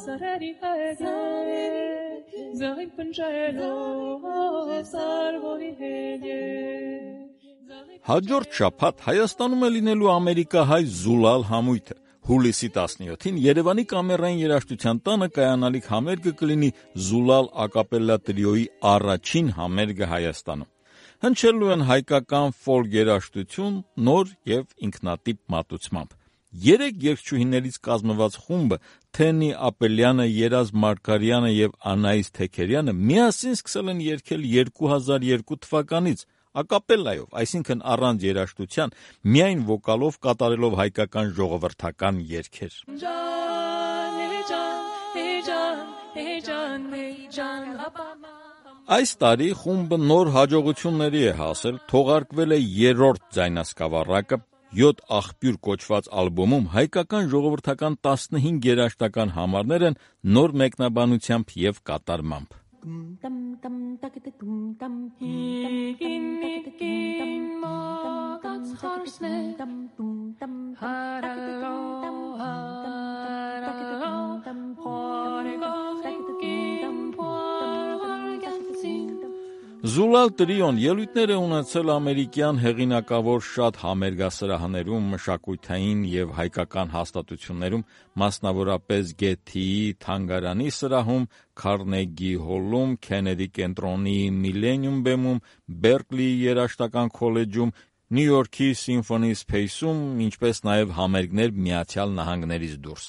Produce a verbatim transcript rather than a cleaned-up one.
սարերի հետ զաղիկ պնջելով սարվորի հետ Հաջորդ շաբաթ Հայաստանում է լինելու ամերիկահայ Զուլալ համույթը։ Հուլիսի տասնյոթին Երևանի Կամերային երաժշտության տանը կայանալիք համերգը կլինի Զուլալ ակապելլա տրիոյի առաջին համերգը Հայաստանում։ Հնչելու են հայկական ֆոլք երաժշտություն նոր եւ ինքնատիպ մատուցմամբ։ Երեք երգչուհիներից կազմված խումբը Թենի Ապելյանը, Երազ Մարգարյանը եւ Անահիս Թեքերյանը միասին սկսել են երգել երկու հազար երկու թվականից ակապելլայով, այսինքն առանց երաժշտության, միայն վոկալով կատարելով հայկական ժողովրդական երգեր։ Այս տարի խումբը նոր հաջողությունների է հասել, թողարկվել է երրորդ ձայնասկավառակը, յոթ աղբյուր կոչված ալբոմում հայկական ժողովրդական տասնհինգ երաժշտական համարներ են նոր մեկնաբանությամբ եւ կատարմամբ։ Զուլալ տրիոն ելույթներ է ունեցել ամերիկյան հեղինակավոր շատ համերգասրահներում, մշակութային եւ հայկական հաստատություններում, մասնավորապես Գեթիի թանգարանի սրահում, Քարնեգի հոլում, Քենեդի կենտրոնի Միլենիում բեմում, Բերկլիի երաժշտական քոլեջում, Նյու Յորքի Սիմֆոնի Սփեյսում, ինչպես նաեւ համերգներ Միացյալ Նահանգներից դուրս։